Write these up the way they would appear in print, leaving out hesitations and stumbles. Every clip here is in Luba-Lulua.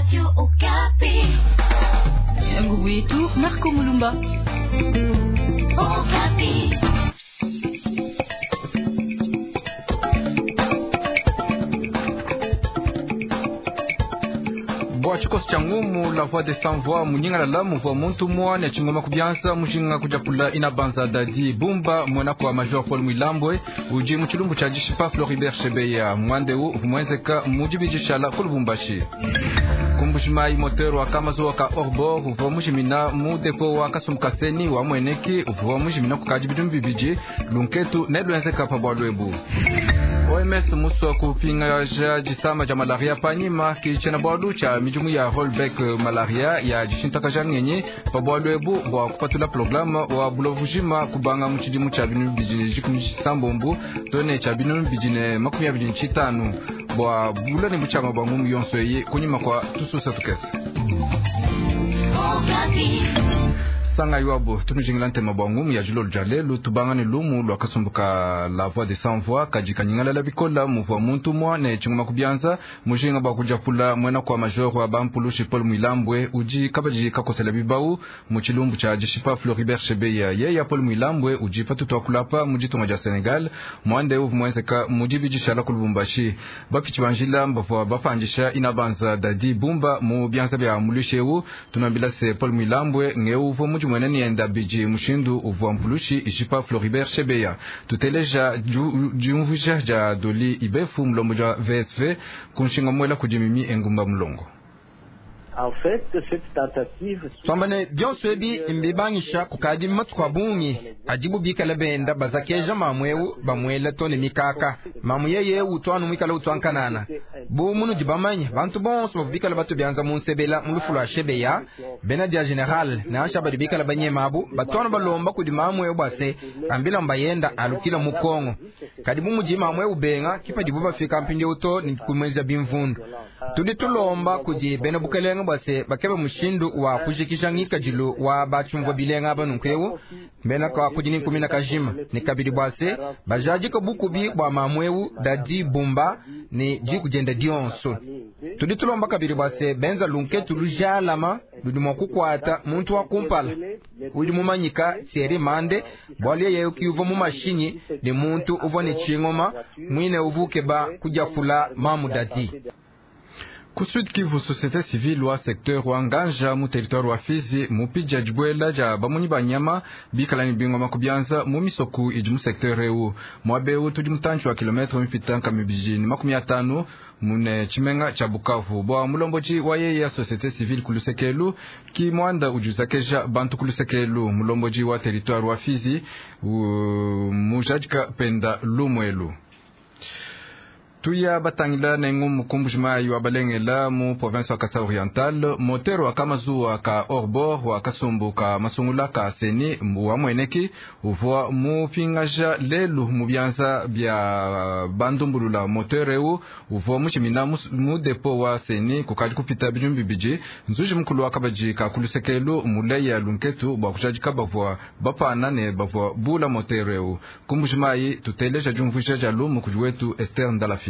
Radio Okapi. Wetu Marco Mulumba. Okapi. Bua tshikoso tshia ngumu la voix des sans voix munyingalala muvua muntu muane tshingoma kubianza mujinga kudiapula inabanza dadi bumba muena kua major Paul Mwilambwe udi mu tshilumbu tshia dishipa Floribert Chebeya muandeu uvua muenzeka mu dibidishala ku Lubumbashi. Kumbushimai moteur wa kamazuwa ka orbor uvua mujimina mu depo wa kasumukaseni wa mweneki uvua mujimina kukadi bidimu bibidi lunketu ne luenzeka pa bualu ebu. OMS musua kupingaja disama dia malaria panyima ki tshiena-bualu tshia midimu ya rollback malaria ya dishintakaja ngenyi pa bualu ebu bua kupatula programe wa bulovujima kubanga mu tshidimu tshia binunu bibidi ne dikumi tshisambombo to ne tshia binunu bibidi ne makumi abidi ne tshitanu bua bula ne butshiama bua ngumu yonso eyi kunyima kua tususa tukese. Okapi. Sanga iwabo tunujingila ntema bua ngumu ya dilolo dia lelu tubanga ne lumu lua kasumbu ka la voix des sans voix kadi kanyingalala bikola muvua muntu mua ne tshingoma kubianza mujinga bua kudiapula muena kua major wa bampulushi Paul Mwilambwe udi kabadi kakosela bibau mu tshilumbu tshia dishipa Floribert Chebeya yeya Paul Mwilambwe udi patutu akulapa mu ditunga dia Senegal muande uvu muenzeka mu dibidishala ku Lubumbashi bapitshi ba njila bavua bapandisha inabanza dadi bumba mu bianza bia muluishi eu tunambila se Paul Mwilambwe ngeu uvua mudi muene nienda bidi mushindu uvua mpulushi ishipa Floribert Chebeya tuteleja diumvuija dia Doli Ibefu mulombodi wa VSV kunshinga muela kudi Mimi Engumba Mulongo. En fait, cette tentative twambane bionso ebi mbibangisha kukadi matuku a bungi adibu bikala benda bazakeja mamu eu bamuela to ne mikaka mamu yeye utwanu mwikala utwankanana bu munudi bamanya bantu bonso bavua bikala batu bianza munsebela mu lufu lua shebeya bena dia general nansha badi bikala banyema abu batwanu balomba kudi mamu eu bua se ambila mbayenda alukila mu kongo kadi bu mudi mamu eu benga kipadibu bafika mpindieu to ne kumweza bimvundu tudi tulomba kudi bena bukelenge bua se bakebe mushindu wa kujikija ngikadilu wa batshumvua bilenga aba nunku mbena ka kudi ni nkumina kajima ne kabidi bua se bajadika bukubi bua mamu eu dadi bumba ne diku dienda dionso tudi tulomba kabidi bua se benza lunketu lujalama ludi mua kukuata muntu wa kumpala udi mumanyika Thierry Mande bualu yeye uvua mu mashinyi ne muntu uvua ne tshingoma muine uvua ukeba kudiafula mamu dadi. Ku Sud Kivu, société civile wa secteur wa Nganja mu territoire wa Fizi mupija dibuela dia bamunyi ba nyama bikala ne bingoma kubianza mu misoku idi mu secteur eu muaba eu tudi mutantshi wa kilometre mipita nkama ibidi ne makumi atanu mune tshimenga tshia Bukavu bua mulombodi wa yeye ya société civile ku lusekelu ki muanda udi uzakeja bantu ku lusekelu mulombodi wa territoire wa Fizi mujadika penda lumuelu. Tuya batangila nengu mukumbujimayi wa balengela mu province wa Kasai Oriental motero wa kamazuwa ka orbor wa kasumbu ka masungula ka seni wa mweneki uvua mupingaja lelu mu bianza bia bandumbulula moteur eu uvua mushimina mu depo wa seni kukadi kupita bidimu bibidi nzuji mukulu wa kabadi ka kulusekelu muleya lunketu bua kujadika bavua bapana ne bavua bula moteur eu kumbujimayi tuteleja diumvuija dia lumu kudi wetu Esther Ndalafina.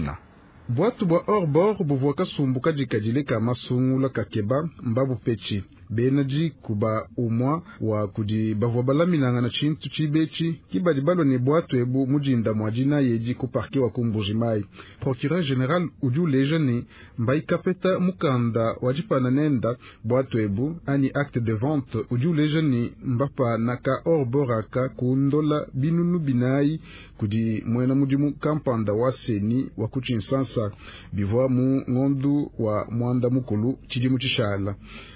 Bwatu bwa orbor buvua kasumbu kadikadile ka masungula kakeba mbabu petshi bena diku ba umwa wa kudi bavua balaminangana tshintu tshibetshi kibadi balua ne bwatu ebu mudinda mua dina yedi ku parquet wa ku Mbuji-Mayi. Procureur general udi uleja ne mbaikapeta mukanda wa dipana nenda bwatu ebu anyi acte de vente udi uleja ne mbapana ka orbor aka kundola binunu binayi kudi muena mudimu kampanda wa seni wa ku Tshinsansa bivua mu ngondu wa mwanda mukulu tshidimu tshishala.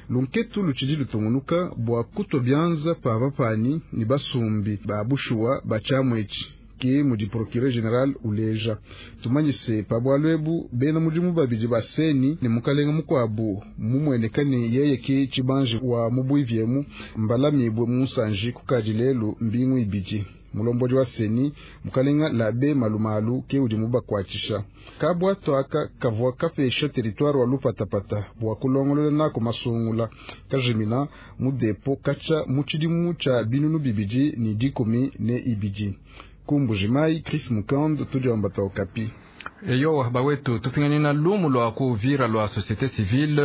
Lunketu lutshidi lutungunuka bua kutwa bianza pa bapani ne basumbi ba bushuwa ba tshiamwetshi ke mudi procureur general uleja tumanyise pa bualu ebu bena mudimu babidi ba seni ne mukalenga mukuabu mumueneka ne yeye ke tshibanje wa mubuiviemu mbalamibwe musanji kukadi lelu mbingu ibidi. Mulombodi wa seni mukalenga labe malumalu ke udi mubakwatshisha kabwato aka kavua kapesha territoire wa lupatapata bua kulongolola nako masungula kajimina mu depo kacha mu tshidimu tshia binunu bibidi ne dikumi ne ibidi. Ku Mbuji-Mayi, Chris Mukand, tudi wambata Okapi. Eyowa bawetu tupinganina lumu lwa ku Uvira lwa société civile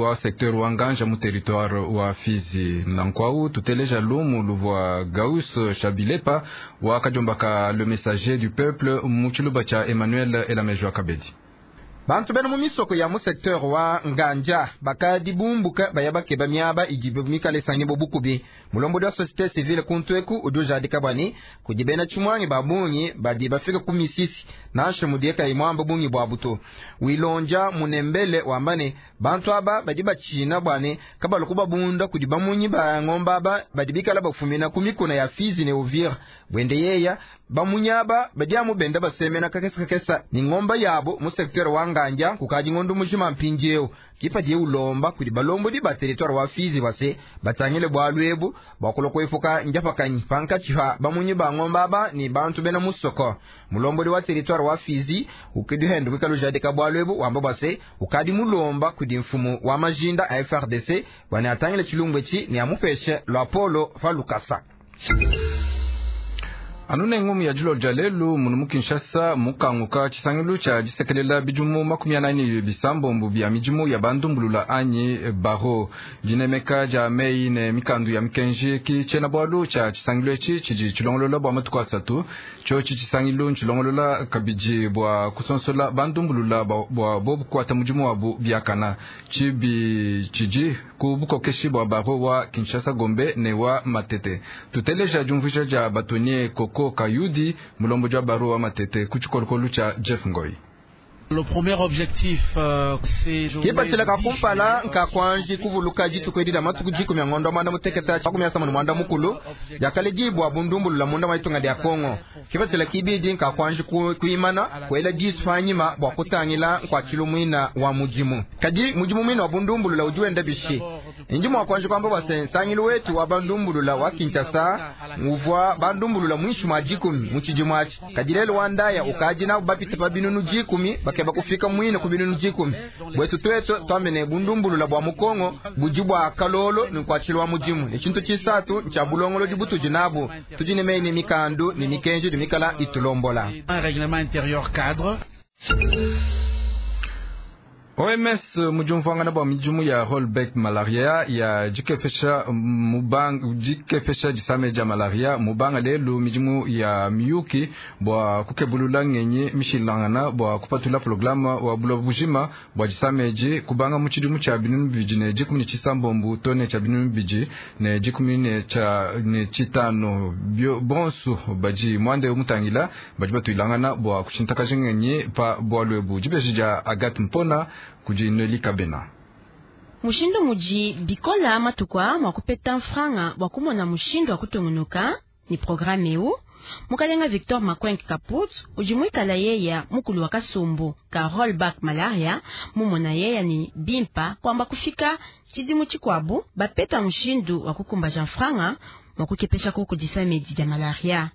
wa secteur wa Nganja mu territoire wa Fizi. Nankwau tuteleja lumu luvwa Gauss Shabilepa wa kajombaka le messager du peuple mu tshiluba tshia Emmanuel Elamejwa Kabedi. Bantu bena mu misoko ya mu secteur wa Nganja bakadi bumbuka baya bakeba miaba idi mikale sangi bo bukubi. Mulombodi wa société civile kuntu eku udi ujadika bwani kudi bena tshimwangi ba bungi badi bafika ku misisi nansha mudieka imwamba bungi bwa buto. Wilonja munembele wambane bantu aba badi bachina bwane kabalu kubabunda kudi bamunyi ba ngomba aba badi bikala bafumina ku mikuna ya Fizi ne Uvira. Bwende yeya bamunyaba badi amu benda basemena kakesa kakesa ni ngomba yabo mu secteur wa Nganja kukaji ngondo mujima mpindieu kipadi ulomba kudi balombodi ba territoire wa Fizi base batangile bwalu ebu bakulo kwefuka njapakanyi pankachiha bamunyi ba ngomba aba ni bantu bena musoko. Mulombodi wa territoire wa Fizi ukidi hendu kwikalu jadika bwalu ebu wamba base ukadi mulomba kudi mfumu wa majinda a FRDC bwana atangile chilungwechi ni amupeshe lwa polo falukasa. Anune ngumu ya julo jalelu munu mu Kinshasa mukanguka tshisangilu tshia disekelela bidimu 48 bisambombo bia midimu ya bandumbulula anyi baro dinemeka dia mei ne mikandu ya mikenji ki tshiena bualu tshia tshisangilu etshi tshidi tshilongolola bua matuku asatu. Tshiotshi tshisangilu ntshilongolola kabidi bua kusonsola bandumbulula bua bobu kuata mudimu wabu biakana. Tshibi tshidi ku bukokeshi bua baro wa Kinshasa Gombe ne wa Matete. Tuteleja diumvuija dia batonie Koko Kayudi mulombo jwa baro wa Matete ku tshikolokolo tshia Jeff Ngoi. Le premier objectif, c'est kipatshila ka kumpala nkakwanji kuvuluka dituku edi dia matuku 10 ngondo mwanda muteketa 18 mwanda mukulu yakale dibwa bundumbulula munda mwa itunga dia Kongo. Kipatshila kibidi nkakwanji kuimana kuela disu panyima bua kutangila nkuatshilu mwina wa mudimu. Kadi mudimu mwina wa bundumbulula udi wenda bishi. Ndi mwa kwanja kwamba bwase nsangilu wetu wa bandumbulula wa Kinshasa uvua bandumbulula mwishi mwa 10 mu tshidimu atshi. Kadi lelo wa ndaya ukadi nabo bapita pa binunu 10 bakeba kufika mwine ku binunu 10. Bwetu twetu twamene bundumbulula bwa mukongo budi bwa kalolo ni nkuatshilu wa mudimu. Ni tshintu tshisatu ntshia bulongolodi butudi nabo tudi ne meyi ne mikandu ne mikenji di mikala itulombola. Un règlement intérieur cadre. OMS mujumvuangana bua midimu ya rollback malaria ya dikepesha mubanga dikepesha disame dia malaria mubanga lelu midimu ya miyuki bua kukebulula ngenyi mishilangana bua kupatula programa wa buloba bujima bua disameji kubanga mu tshidimu tshia 2016 tone tshia 2015 bonsu badi mwande mutangila badi batuilangana bua kushintakaja ngenyi pa bualu ebu dibeji dia Agathe Mpona kudi Neli Kabena. Mushindu muji bikola matukwa mwa kupeta mfranga bwa kumona mushindu wa kutungunuka ni programme eu mukalenga Victor Makwenk Kaput udi muikala yeya mukulu wa kasumbu ka rollback malaria mumona yeya ni bimpa kwamba kufika tshidimu tshikuabu bapeta mushindu wa kukumbaja mfranga mwa kukepesha kuku disamedi dia malaria.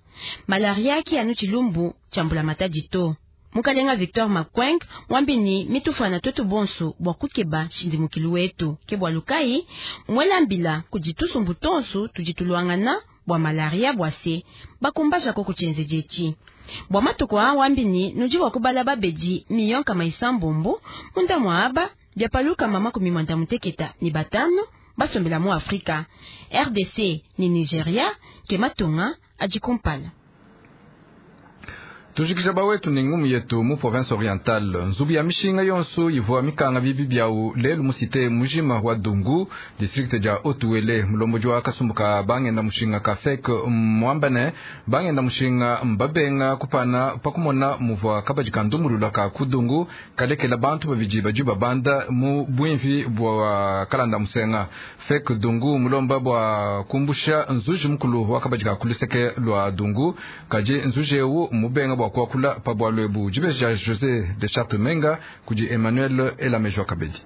Malaria ki anu tshilumbu tshambula matadi to. Mukalenga Victor Makwenk mwambini mitufana twetu bonso bwa kukeba shindimukilu wetu ke bwa lukai mwelambila kuditusumbu tonso tuditulwangana bwa malaria bwase bakumbaja ko kuchenzejechi bwa matuko a wambini nudi wa kubala babedi miyonka maisambombo munda mwa aba byapaluka mama kumimwanda muteketa ni batano basombela mu Afrika RDC ni Nigeria ke matunga adikumpala. Tujikisha bawetu ni ngumu yetu mu province orientale nzubu ya mishinga yonso ivua mikanga bibi byau lelu musite mujima wa Dungu district ja Otuwele mulomboji wa kasumbuka bangenda mushinga ka fek mwambane bangenda mushinga mbabenga kupana pakumona muvua kabaji kandumulula ka kudungu kalekela bantu babiji baju babanda mu bwimvi bwa kalanda musenga fek Dungu mulomba bwa kumbusha nzuji mukulu wa kabaji ka kuluseke lwa Dungu kaji nzuji ewu mubenga bwa kuakula pa bwalu ebu dibeji dia José de Chartres Menga kudi Emmanuel Elamejwa Kabedi.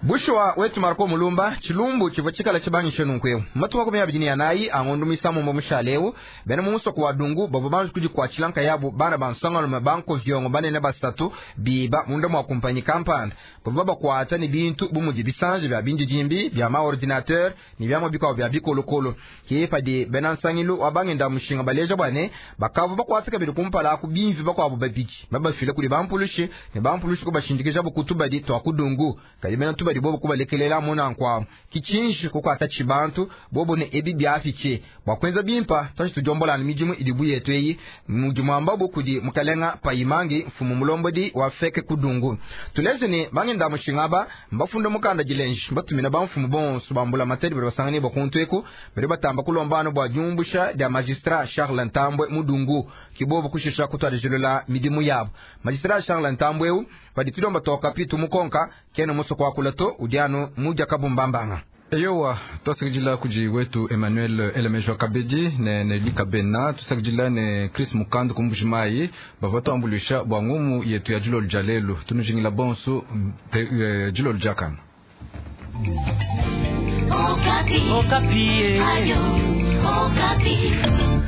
Bushuwa wetu Marco Mulumba, tshilumbu tshivua tshikala tshibangishe nunku eu. Matuku 24 a ngondo muisambombo mushale eu, bena mu musoko wa Dungu bavua banji kudikuatshila nkayabu bana ba nsongalume ba nkoviongo banene basatu biba munda mua kumpanyi kampanda. Bavua babakuata ne bintu bu mudi bisanji bia bindidimbi, bia ma-ordinateur ne biamua bikuabu bia bikolokolo. Ke padi bena nsangilu wa bangenda mushinga baleja bua ne, bakavua bakuate kabidi kumpala aku bimvi bakuabu babidi, babafile kudi bampulushi ne bampulushi kubashindikijabu ku tubadi tua ku Dungu. Kadi bena tubadi bobo kubalekelela mu nanku amu. Ki tshinji kukuata tshibantu bobo ne ebi biafitshi bua kuenza bimpa tuanji tudiombola anu midimu idi bu yetu eyi, mudi muambabu kudi mukalenga Payimangi, mfumu mulombodi wa FEC ku Dungu. Tuleje ne bangenda mushinga aba mbafunda mukanda dilenji, batumina bamfumu bonso ba mbulamatadi badi basanganibua kuntu eku, badi batamba kulomba anu bua diumbusha dia magistrat Charles Ntambwe mu Dungu. Ki bobo kushisha kutuadijilula midimu yabo. Magistrat Charles Ntambwe eu padi tudiomba toka pitu mukonka kena musoko kuakula to udi anu mudia kabumbambanga. Eyowa, twasakidila kudi wetu Emmanuel Elemejwa Kabedi ne Nelly Kabena, tusakidila ne Chris Mukandu ku Mbujimayi bavua tuambuluisha bua ngumu yetu ya dilolo dia lelu. Tunujingila bonso dilolo diakana. Okapi. Okapi. Ayo, Okapi.